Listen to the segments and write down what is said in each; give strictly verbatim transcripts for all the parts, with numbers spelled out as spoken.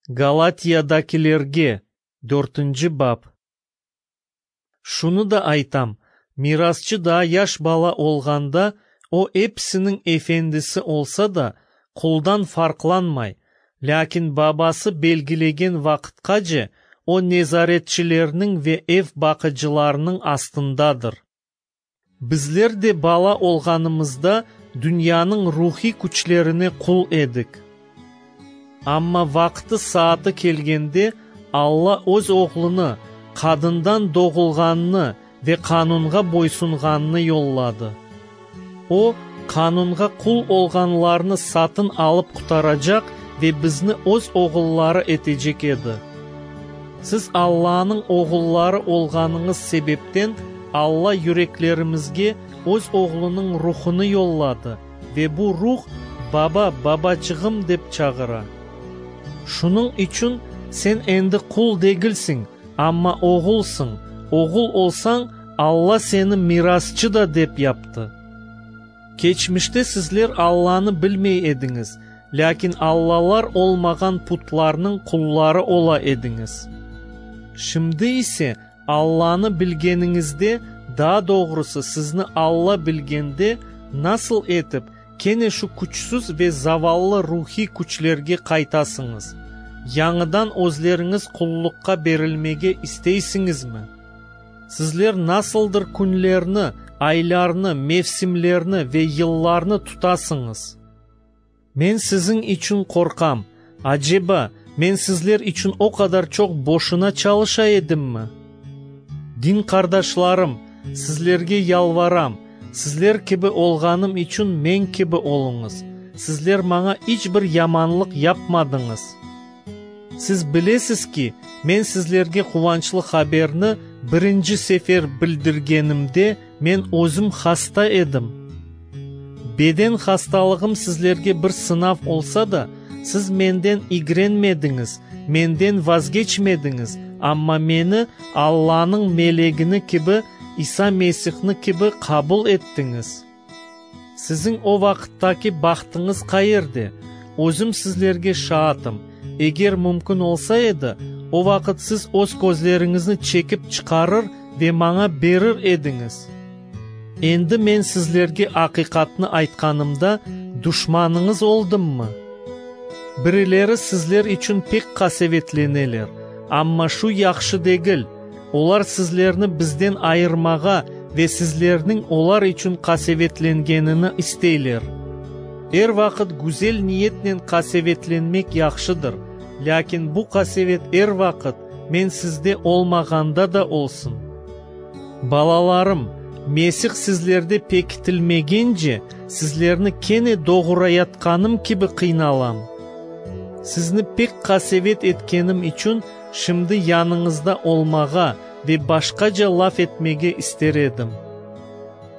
Galatiyadakilerge, dörtünci bap. Şunı da aytam: mirasçı daa yaş bala olğanda, o, episiniñ efendisi olsa da, quldan farqlanmay; lâkin babası belgilegen vaqıtqace o, nezaretçilerniñ ve ev baqıcılarınıñ astındadır. Bizler de bala olğanımızda dünyanıñ ruhiy küçlerine qul edik. Amma vaqtı-saatı kelgende, Alla Öz Oğlunı, qadından doğulğannı ve qanunğa boysunğannı yolladı. O, qanunğa qul olğanlarnı satın alıp qurtaracaq ve bizni Öz oğulları etecek edi. Siz Allanıñ oğulları olğanıñız sebepten, Alla yüreklerimizge Öz Oğlunıñ Ruhunı yolladı, ve bu Ruh: Baba, babaçığım! dep çağıra. Şunıñ içün sen endi qul degilsiñ, amma oğulsıñ; oğul olsañ, Alla seni mirasçı da dep yaptı. Keçmişte sizler Allanı bilmey ediñiz, lâkin allalar olmağan putlarnıñ qulları ola ediñiz. Şimdi ise Allanı bilgeniñizde, daa doğrusı sizni Alla bilgende, nasıl etip kene şu küçsüz ve zavallı ruhiy küçlerge qaytasıñız? Yañıdan özleriñiz qulluqqa berilmege isteysiñizmi? Sizler nasıldır künlerni, aylarnı, mevsimlerni ve yıllarnı tutasıñız. Men siziñ içün qorqam. Aceba, men sizler içün o qadar çoq boşuna çalışa edimmi? Din qardaşlarım, sizlerge yalvaram, sizler kibi olğanım içün men kibi oluñız. Sizler maña iç bir yamanlıq yapmadıñız. Siz bilesiz ki, men sizlerge quvançlı haberni birinci sefer bildirgenimde, men özüm hasta edim. Beden hastalığım sizlerge bir sınav olsa da, siz menden igrenmediñiz, menden vazgeçmediñiz, amma meni Allanıñ melegini kibi, İsa Mesihni kibi qabul ettiñiz. Siziñ o vaqıttaki bahtıñız qayerde? Özüm sizlerge şaatım: eger mümkün olsa edi, o vaqıt siz öz közleriñizni çekip çıqarır ve maña berir ediñiz. Endi men sizlerge aqiqatnı aytqanımda, duşmanıñız oldımmı? Birileri sizler içün pek qasevetleneler, amma şu yahşı degil. Olar sizlerni bizden ayırmağa ve sizlerniñ olar içün qasevetlengenini isteyler. Er vaqıt güzel niyetnen qasevetlenmek yahşıdır, lâkin bu qasevet er vaqıt, men sizde olmağanda da olsun. Balalarım, Mesih sizlerde pekitilmegence, sizlerni kene doğurayatqanım kibi qıynalam. Sizni pek qasevet etkenim içün, şimdi yanıñızda olmağa ve başqaca laf etmege ister edim.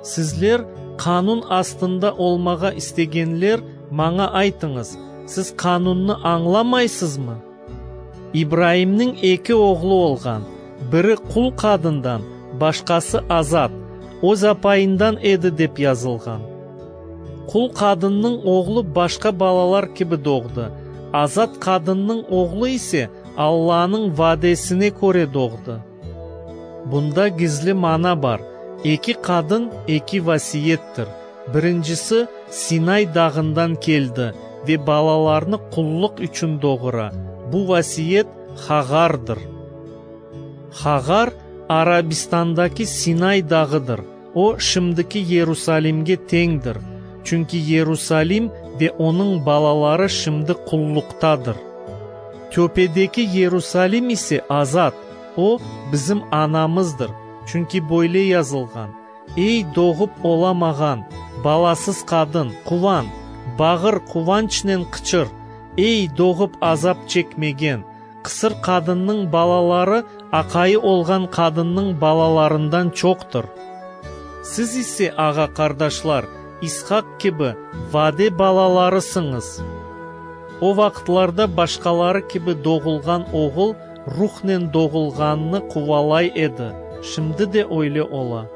Sizler, qanun astında olmağa istegenler, maña aytıñız, siz qanunnı añlamaysızmı? İbraimniñ eki oğlu olğan, biri qul qadından, başqası azat, öz apayından edi dep yazılğan. Qul qadınnıñ oğlu başqa balalar kibi doğdı, azat qadınnıñ oğlu ise Allanıñ vadesine köre doğdı. Bunda gizli mana bar: eki qadın eki vasiyettir. Birincisi Sinay dağından keldi ve balalarnı qullıq içün doğura. Bu vasiyet Hagardır. Hagar Arabistandaki Sinay dağıdır. O, şimdiki Yerusalimge teñdir, çünki Yerusalim ve onıñ balaları şimdi qulluqtadır. Töpedeki Yerusalim ise azat, o, bizim anamızdır, çünki böyle yazılğan: Ey, doğıp olamağan, balasız qadın, quvan, bağır, quvançnen qıçır! Ey, doğıp azap çekmegen, qısır qadınnıñ balaları aqayı olğan qadınnıñ balalarından çoqtır. Siz ise, ağa-qardaşlar, İshaq kibi vade balalarısıñız. O vaqıtlarda başqaları kibi doğulğan oğul ruhnen doğulğannı quvalay edi, şimdi de öyle ola.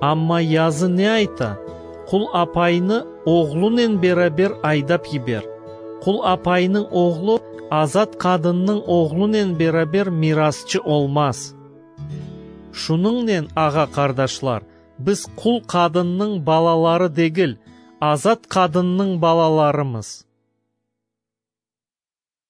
Amma yazı ne ayta? Qul apaynı oğlunen beraber aydap yiber. Qul apaynıñ oğlu azat qadınnıñ oğlunen beraber mirasçı olmaz. Şunıñnen, ağa-qardaşlar, biz qul qadınnıñ balaları degil, azat qadınnıñ balalarımız.